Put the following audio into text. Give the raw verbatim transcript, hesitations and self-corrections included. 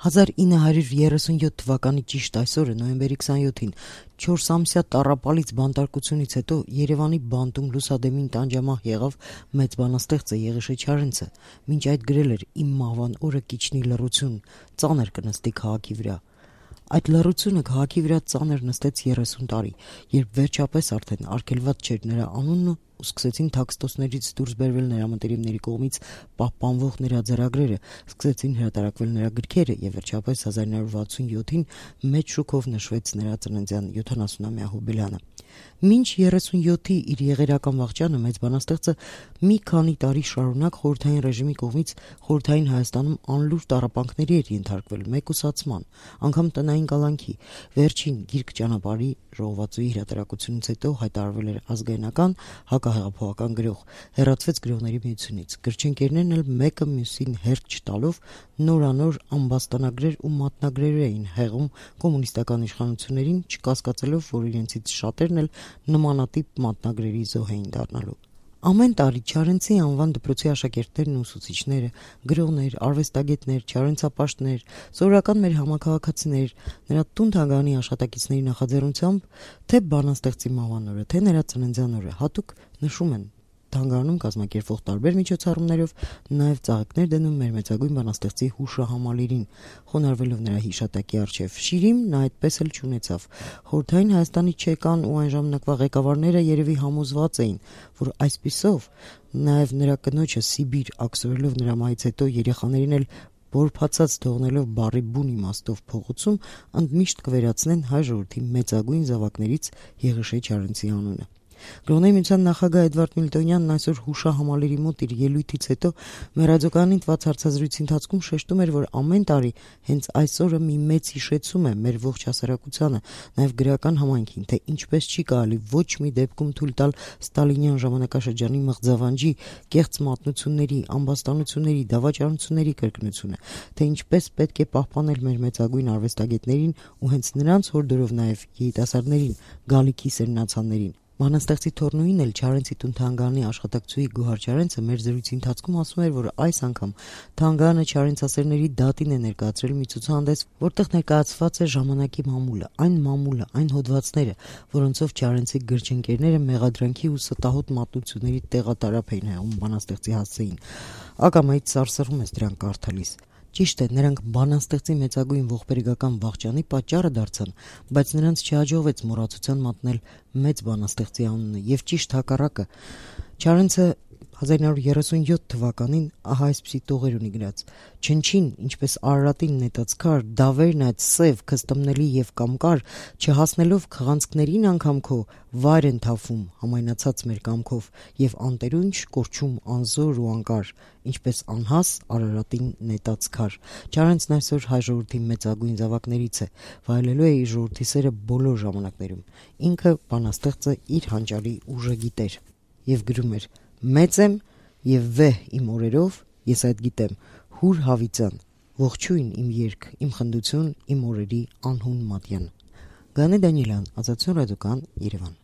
հազար ինը հարյուր երեսունյոթ թվականի ճիշտ այսօրը նոյեմբերի քսանյոթին չորսամսյա տառապալից բանտարկությունից հետո Երևանի բանտում լուսադեմին տանջամահ եղավ մեծ բանաստեղծը Եղիշե Չարենցը, մինչ այդ գրել էր «Իմ մահվան օրը կիջնի լռություն, ծանր կնստի քաղաքի վրա»։ Այդ լռությունը քաղաքի վրա ծանր նստեց երեսուն տարի, երբ վերջապես արդեն արգելված չէր նրա անունն ու սկսեցին թաքստոցներից դուրս բերվել նրա մտերիմների կողմից պահպանվող նրա ձեռագրերը, սկսեցին հրատարակվել նրա գրքերը եւ վերջապես հազար ինը հարյուր վաթսունյոթին մեծ շուքով նշվեց նրա ծննդյան յոթանասունամյա հոբելյանը։ Մինչ երեսունյոթի իր եղերական վախճանը մեծ բանաստեղծը մի քանի տարի շարունակ խորհրդային ռեժիմի կողմից խորհրդային Հայաստանում անլուր տառապանքների էր ենթարկվել, մեկուսացման, անգամ տնային կալանքի։ Վերջին գիրք ճանապարհի ժողովածուի հրատարակությունից հետո հայտարարվել էր ազգայնական հակահեղափոխական գրող, հեռացվեց գրողների միությունից։ Գրչընկերներն էլ մեկը մյուսին հերթ չտալով նորանոր ամբաստանագրեր ու մատնագրեր էին հեղում կոմունիստական իշխանություններին, չկասկածելով, որ իրենցից շատերն էլ նմանատիպ մատնագրերի զոհ էին դառնալու։ Ամեն տարի Չարենցի անվան դպրոցի աշակերտներն ու ուսուցիչները, գրողներ, արվեստագետներ, չարենցապաշտներ, սովորական մեր համաքաղաքացիներ, նրա տուն-թանգարանի աշխատակիցների նախաձեռնությամբ թե բանաստեղծի մահվան օրը, թե նրա ծննդյան օրը հատուկ նշում են թանգարանում կազմակերպվող տարբեր միջոցառումներով, նաև ծաղիկներ դնում մեր մեծագույն բանաստեղծի հուշահամալիրին, խոնարհվելով նրա հիշատակի առջև։ Շիրիմ նա այդպես էլ չունեցավ։ Խորհրդային Հայաստանի ՉԿ-ն ու այն ժամանակվա ղեկավարները երևի համոզված էին, որ այսպիսով նաև նրա կնոջը Սիբիր աքսորելով նրա մահից հետո երեխաներին էլ բորբացած թողնելով բառի բուն իմաստով փողոցում, ընդմիշտ կվերացնեն հայ ժողովրդի մեծագույն զավակներից Եղիշե Չարենցի անունը։ Գրողների միության նախագահ Էդվարդ Միլտոնյանն այսօր հուշահամալիրի մոտ իր ելույթից հետո մեր ռադիոկայանին տված հարցազրույցի ընթացքում շեշտում էր, որ ամեն տարի հենց այսօրը մի մեծ հիշեցում է մեր ողջ հասարակությանը, նաև գրական համայնքին, թե ինչպես չի կարելի ոչ մի դեպքում թույլ տալ ստալինյան ժամանակաշրջանի մղձավանջի, կեղծ մատնությունների, ամբաստանությունների, դավաճանությունների կրկնությունը, թե ինչպես պետք է պահպանել մեր մեծագույն արվեստագետներին ու հենց նրանց հորդորով նաև երիտասարդներին, գալիքի սերնացաններին։ Բանաստեղծի թոռնուին էլ Չարենցի տուն-թանգարանի աշխատակցուհի Գոհար Չարենցը մեր զրույցի ընթացքում ասում էր, որ այս անգամ թանգարանը չարենցասերների դատին է ներկայացրել մի ցուցահանդես, որտեղ ներկայացված է ժամանակի մամուլը, այն մամուլը, այն հոդվածները, որոնցով Չարենցի գրչընկերները մեղադրանքի ու ստահոդ մատնությունների տեղատարափ էին հեղում բանաստեղծի հասցեին։ Ակամայից սարսռում ես դրանք կարդալիս։ Ճիշտ է, նրանք բանաստեղծի մեծագույն ողբերգական վախճանի պատճառը դարձան, բայց նրանց չհաջողվեց մոռացության մատնել մեծ բանաստեղծի անունը, եւ ճիշտ հակառակը։ Չարենցը հազար ինը հարյուր երեսունյոթ թվականին ահա այսպիսի տողեր ունի գրած. «Չնչին, ինչպես Արարատին նետած քար, դավերն այդ սև, քստմնելի եւ կամկար, չհասնելով քղանցքներին անգամ քո, վայր են թափվում համայնացած մեր կամքով եւ անտերունջ կորչում անզոր ու անկար, ինչպես անհաս Արարատին նետած քար»։ Չարենցն այսօր հայ ժողովրդի մեծագույն զավակներից է, վայելելու է իր ժողովրդի սերը բոլոր ժամանակներում։ Ինքը բանաստեղծը իր հանճարի ուժը գիտեր եւ գրում էր. «Մեծ եմ եւ վեհ իմ օրերով, ես այդ գիտեմ, հուր հավիտյան, ողջույն իմ երգ, իմ խնդություն, իմ օրերի անհուն մատյան»։ Գաներ Դանիելյան, Ազատություն ռադիոկայան, Երևան։